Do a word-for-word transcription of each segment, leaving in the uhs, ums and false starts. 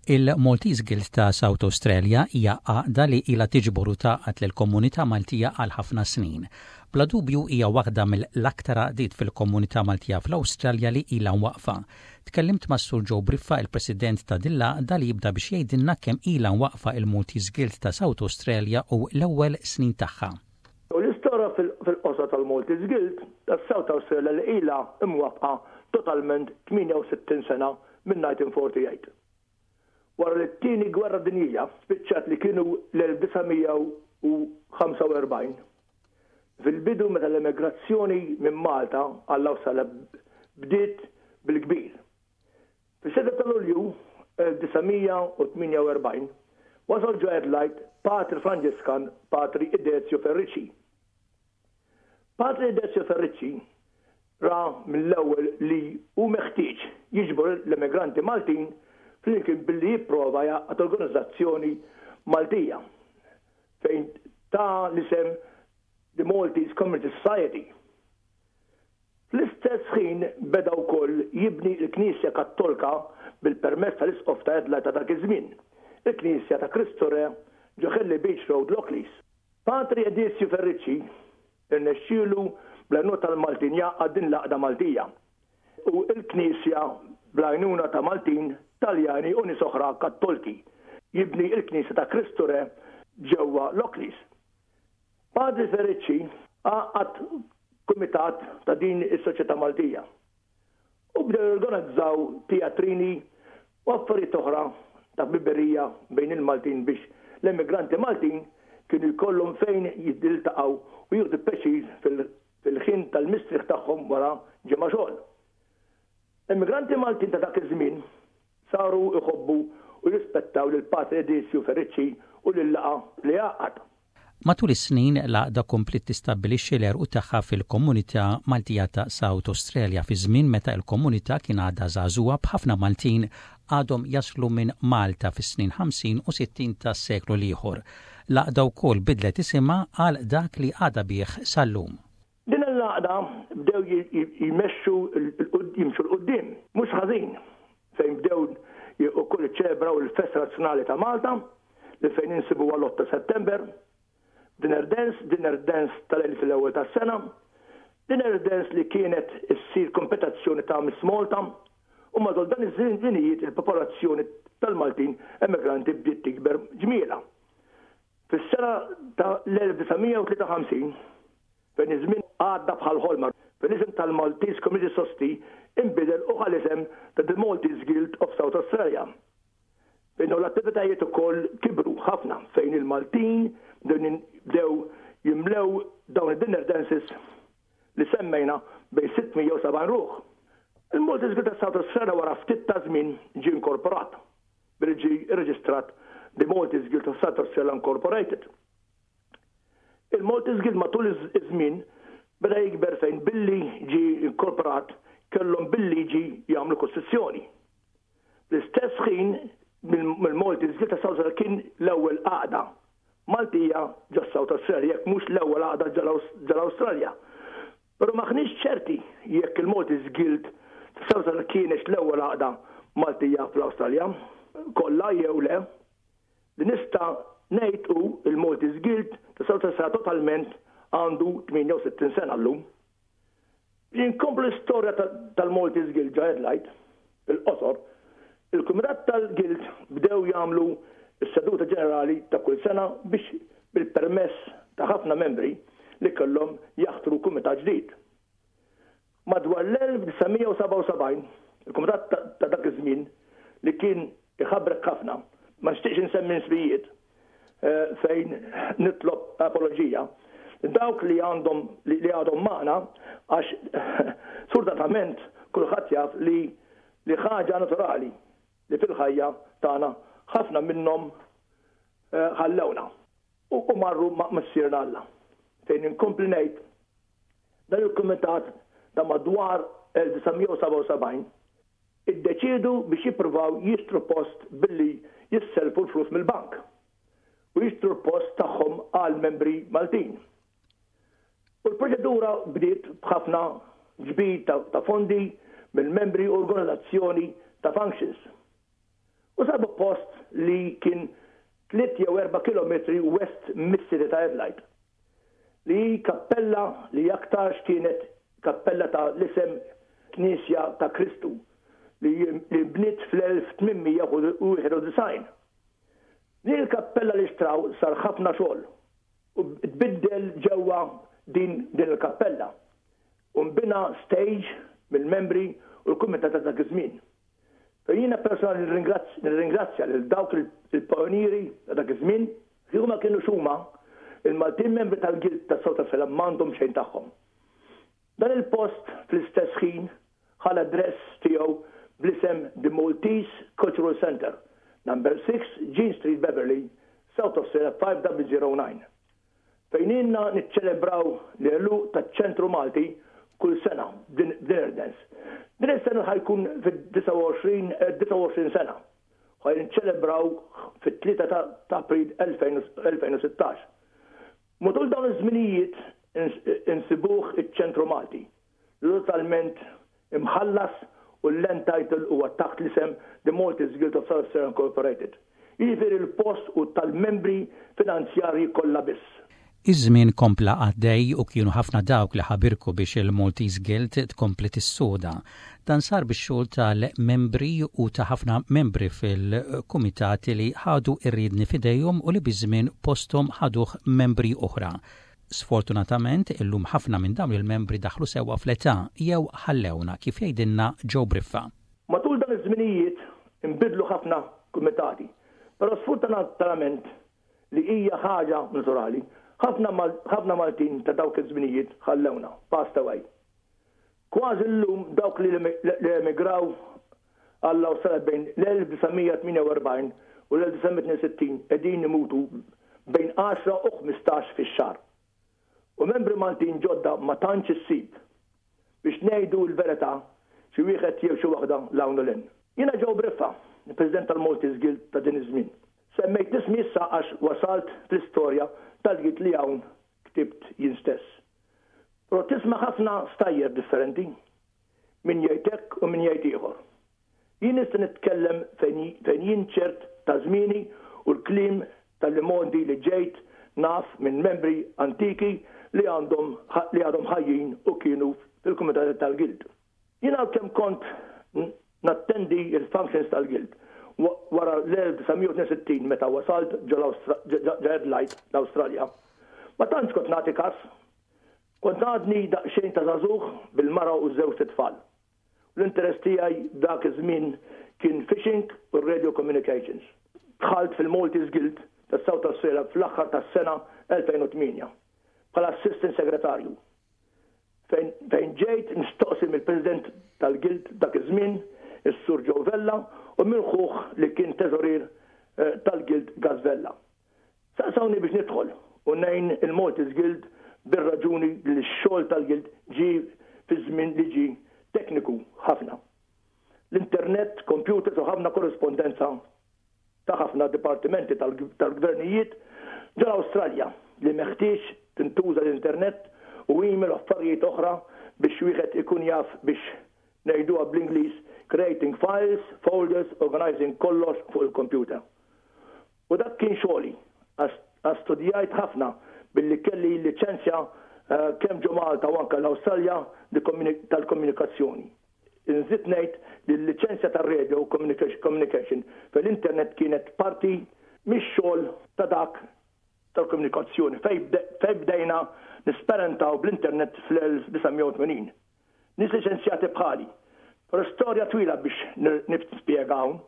Il-Maltese Guild ta' South Australia hija għaqda li ilha tiġbor u tgħaqqad lill-komunità Maltija għal ħafna snin. Bla dubju hija waħda mill-aktar għaqdiet fil-komunità Maltija fl-Awstralja li ilha waqfa. Tkellimt ma' Sur Joe Briffa, il-President ta' din l-għaqda, li jibda biex jgħidilna kemm ilha waqfa il-Maltese Guild ta' South Australia u l-ewwel snin tagħha. U l-istorja fil-qosor tal-Maltese Guild ta' South Australia li ilha imwaqfa totalment tmienja u sittin sena minn elf disa' mija u erbgħa u erbgħin. Wara li t-tieni gwerra dinjija spiċċat li kienu l-elf disa' mija u ħamsa u erbgħin. Fil-bidu meta l-emigrazzjoni minn Malta għall-Awstralja bdiet bil-kbir. Fis-sitta ta' Lulju elf disa' mija u tmienja u erbgħin wasal ġo Adelaide Patri Franġiskan, Patri Idezio Ferrici. Patri Idezio Ferrici ra mill-ewwel li hu meħtieġ jiġbor l-emigranti Maltin flimkien billi jipprova jgħaqqad organizzazzjoni Maltija fejn ta l-isem The Maltese Community Society. Fl-istess ħin beda wkoll jibni l-Knisja Kattolka bil-permess tal-Isqof ta' Adelaide ta' dak iż-żmien, il-Knisja ta' Kristu Re ġo Henley Beach Road, Lockleys. Patri Edizio Ferrici irnexxielu bl-għajnuna tal-Maltin jgħaqqad din l-għaqda Maltija u il-Knisja bl-għajnuna ta' Maltin, Taljani u nies oħra Kattolki jibni il-Knisja ta' Kristu Re ġewwa Lockleys. Padre Ferrici għaqqad kumitat ta' din is-Soċjetà Maltija. U bdew jorganizzaw teatrini u affarijiet oħra ta' ħbiberija bejn il-Maltin biex l-emigranti Maltin kienu jkollhom fejn jiltaqgħu u jieħdu pjaċir fil-ħin tal-mistrieħ tagħhom wara ġimgħa xogħol. Emigranti Maltin ta' dak iż-żmien saru jħobbu u jirrispettaw lil Patri Edizio Ferrici u lil-laqgħa li għaqqad. Matul is-snin l-għaqda kompliet tistabbilixxi l-għeruq tagħha fil-komunità Maltija ta' South Australia fi żmien meta l-komunità kien għadha żagħżugħa, b'ħafna Maltin għadhom jaslu minn Malta fis-snin ħamsin u sittin tas-seklu l-ieħor. L-għaqda wkoll bidlet isimha għal dak li għadha bih sal-lum. Din l-għaqda bdew jmexxu jimxu 'l quddiem, mhux ħażin, fejn bdew ukoll iċċelebraw il-Festa Nazzjonali ta' Malta li fejn insibu għal ta' September, dinner dance, dinner dance tal-elf l-ewwel tas-sena, dinner dance li kienet issir kompetizzjoni ta' Miss Malta, u matul dan iż-żminijiet il-popolazzjoni tal-Maltin emigranti bdiet tikber ġmiela. Fis-sena ta' l-elf disa' mija u tlieta u ħamsin, fejn iż-żmien għadda bħal ħolma, fil-isem tal-Maltese Community Society inbidel u ħa l-isem ta' The Maltese Guild of South Australia. Fejn l-attivitajiet ukoll kibru ħafna, fejn il-Maltin bdew jimlew dawn id-dinner dances li semmejna bejn sitt mija u sebgħin ruħ. Il-Maltese Guild ta' South Australia wara ftit ta' żmien ġie inkorporat billi ġie irreġistrat The Maltese Guild of South Australia Incorporated. Il-Maltese Guild matul iż-żmien beda jikber fejn billi ġi inkorporat kellhom bil-liġi jagħmlu kostituzzjoni. L-istess ħin mill-Maltese Guild ta' South Australia kien l-ewwel għaqda Maltija ġo South Australia, jekk mhux l-ewwel għaqda ġol-Awstralja. Però m'aħniex ċerti jekk il-Maltese Guild ta' South Australia kienx l-ewwel għaqda Maltija fl-Awstralja kollha jew le. Li nista' ngħid hu il-Maltese Guild ta' South Australia totalment għandu tmienja u sittin sena llum. Inkomplu l-istorja tal-Maltese Guild ġo Adelaide, il-qosor, il-Kumitat tal-Guild bdew jagħmlu s-seduta ġenerali ta' kull sena biex bil-permess ta' ħafna membri li kellhom jaħtru kumitat ġdid. Madwar l-elf disa' mija u sebgħa u sebgħin, il-kumitat ta' dak iż-żmien li kien iħabrek ħafna, ma nixtieqx insemmi ismijiet eh, fejn nitlob apologija, dawk li għandhom li għadhom magħna, għax sfortunatament kulħadd jaf li li ħaġa naturali li fil-ħajja tagħna ħafna minnhom eh, ħallewna u marru ma' missierna Alla. Fejn inkompli ngħid, dan il-kumitat ta' madwar elf disa' mija u sebgħa u sebgħin iddeċidu biex jippruvaw jixtru post billi jisselfu l-flus mill-bank u jixtru l-post tagħhom għal membri Maltin. U l-proċedura bdiet b'ħafna ġbir ta' fondi mill-membri u organizzazzjoni ta' functions. U U sabu post li kien tliet jew erba' kilometri west mis-city ta' Adelaide. Li kappella li aktarx kienet kappella ta' l-isem Knisja ta' Kristu li bniet fl-elf tmien mija u wieħed u disgħin. Din il-kappella li xtraw sar ħafna xogħol u tbiddel ġewwa din din il-kappella. U nbina stage mill-membri u l-kumitat ta' dak iż-żmien. Fejn jiena personali nirringrazzja lil dawk il-pionieri ta' dak iż-żmien, li huma kienu xuma il-Maltin membri tal-Guild ta' South Australia m'għandhom xejn tagħhom. Dan il-post fl-istess ħin ħa l-address tiegħu bl-isem The Maltese Cultural Center, number six Jean Street, Beverly, South Australia five zero zero nine. Fejn ilna niċċelebraw l-għeluq taċ-ċentru Malti kull sena dinner dance. Din is-sena ħa jkun fid-disgħa u għoxrin sena. Ħa niċċelebraw fit-tlieta ta' April elfejn u sittax. Matul dawn iż-żminijiet insibuh iċ-ċentru Malti. Totalment imħallas u l-land title huwa taħt l-isem The Maltese Guild of South Australia Incorporated. Jiġifieri l-post u tal-membri finanzjarji kollha biss. Iż-żmien kompla għaddej u kienu ħafna dawk li ħabirku biex il-Maltese Guild tkompli tissoda. Dan sar bix-xogħol tal-membri u ta' ħafna membri fil-kumitati li ħadu ir-riedni f'idejhom u li biż-żmien posthom ħaduh membri oħra. Sfortunatament, illum ħafna minn dawn il-membri daħlu sewwa fl-età jew ħallewna, kif jgħidilna Joe Briffa. Matul dan iż-żminijiet inbidlu ħafna kumitati, però sfortunatament, li hija ħaġa naturali, ħafna Maltin ta' dawk iż-żminijiet ħallewna, passed away. Kważi llum dawk li emigraw għall-Awstralja bejn l-elf disa' mija tmienja u erbgħin u l-elf disa' mija tnejn u sittin qegħdin imutu bejn għaxra u ħmistax fix-xahar. U membri Maltin ġodda ma tantx issib. Biex ngħidu l-verità, xi wieħed jew xi waħda 'l hawn u 'l hinn. Jiena Joe Briffa, il-President tal-Maltese Guild ta' din iż-żmien. Semmejt ismi issa għax wasalt fl-istorja tal-Guild li hawn ktibt jien stess. Però tisma' ħafna stejjer differenti, min jgħid hekk u min jgħid ieħor. Jien nista' nitkellem fejn jien ċert ta' żmieni u l-kliem tal-imgħoddi li ġejt naf minn membri antiki li għandhom li għadhom ħajjin u kienu fil-kumitat tal-Guild. Jien kemm kont nattendi il-functions tal-Guild wara l-elf disa' mija u sittin meta wasalt ġo Adelaide l-Awstralja. Ma tantx kont nagħti kas. Kont għadni daqsxejn ta' żagħżugħ bil-mara u żewġ tfal. L-interess tiegħi dak iż-żmien kien fishing u radio communications. Dħalt fil-Maltese Guild ta' South Australia fl-aħħar tas-sena elfejn u tmienja bħala assistant segretarju. Fejn ġejt mistoqsi mill-President tal-Guild dak iż-żmien, is-Sur Joe Vella, u minn ħuh li kien teżorier eh, tal-Guild, Gaz Vella. Saqsawni biex nidħol u ngħin il-Maltese Guild bir-raġuni li x-xogħol tal-Guild ġi fi żmien li ġi tekniku ħafna. L-internet, computers u ħafna korrespondenza ta' ħafna dipartimenti tal-gvernijiet ġol Awstralja li meħtieġ tintuża l-internet u email u affarijiet oħra biex wieħed ikun jaf, biex ngħiduha bl-Ingliż, creating files, folders, organizing kollox fuq il-computer. U dak kien xogħli, għax studjajt ħafna billi kelli liċenzja eh, kemm ġo Malta u anke l-Awstralja tal-komunikazzjoni. Nżid ngħid li l-liċenzja tar-radio communication fil-internet kienet parti mix-xogħol ta' dak tal-komunikazzjoni fej bdejna nesperimentaw bl-internet fl-elf disa' mija u tmenin. Nies liċenzjati bħali. Però storja twila biex nispjega hawn.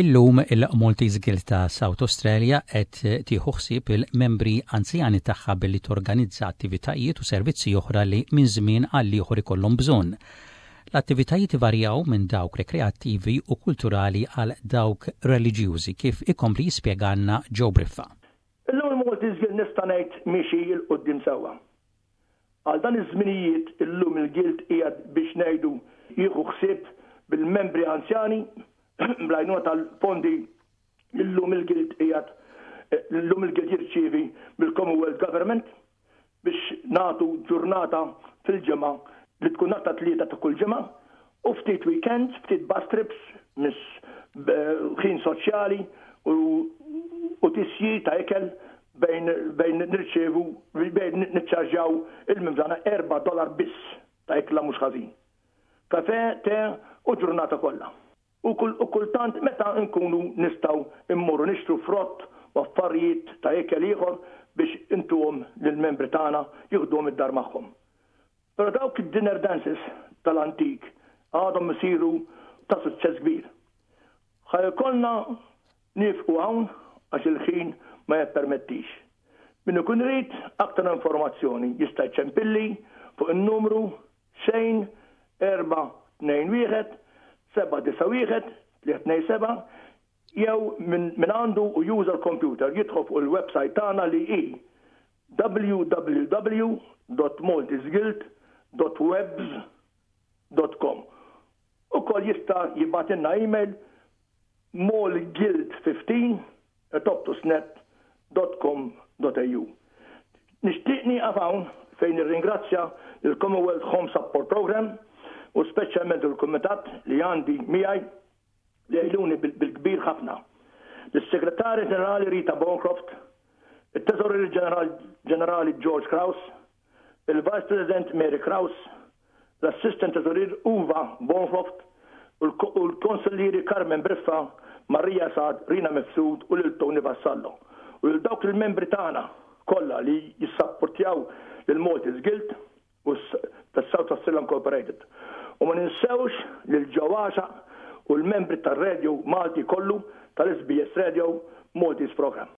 Illum il-Maltese Guild ta' South Australia qed tieħu ħsieb il-membri anzjani tagħha billi torganizza attivitajiet u servizzi oħra li minn żmien għal ieħor ikollhom bżonn. L-attivitajiet varjaw minn dawk rekreattivi u kulturali għal dawk reliġjużi, kif ikompli jispjegalna Joe Briffa. Illum il-Maltese Guild nista' ngħid miexi 'l quddiem sewwa. Għal dan iż-żminijiet illum il-Guild qiegħed, biex ngħidu, jieħu ħsieb bil-membri anzjani bl-għajnuna tal-fondi illum il-Guild qiegħed illum il-Guild jirċievi mill-Commonwealth Government biex nagħtu ġurnata fil-ġimgħa li tkun nhar ta' Tlieta ta' kull ġimgħa u ftit weekends, ftit bus trips Ħin soċjali u, u tisjir ta' ikel bejn, bejn nirċevu, bejn niċċarġjaw il-membri erba' dollar biss ta' ikla mhux ħażin. Kafe, te u ġurnata kollha. U, kull, u kultant meta nkunu nistgħu immorru nixtru frott u affarijiet ta' ikel ieħor biex intuhom lill-membri tagħna jieħduhom id-dar magħhom. Però dawk id-dinner dances tal-antik għadhom isiru ta' suċċess kbir. Ħa jkollna nieqfu hawn għax il-ħin ma jippermettix. Min ikun irid aktar informazzjoni jista' jċempilli fuq il-numru xejn erba' tnejn wieħed seba' disa' wieħed tliet tnejn seba' jew min għandu u juża l-computer jidħol fuq il-website tagħna li hi w w w dot maltesguild dot webs dot com. Ukoll jista' jibgħatilna email malguild fifteen at optusnet dot com dot A U. Nixtieq nieqaf hawn fejn nirringrazzja il-Commonwealth Home Support Program u speċjalment il-kumitat li għandi miegħi li jgħinuni bil-kbir ħafna. L-Segretarju Ġenerali Rita Bancroft, il-Teżorier Ġenerali George Kraus, il-Vice President Mary Kraus, l-Assistant Teżorier Uva Bancroft u l-Konsillieri Carmen Briffa, Maria Sad, Rina Mifsud u lil Tony Vassallo. U lil dawk il-membri tagħna kollha li jissapportjaw lil Maltese Guild u tas-South Australian Incorporated. U ma ninsewx lil ġewwaxa u l-membri tar-radio Malti kollu tal-S B S Radio Maltese Program.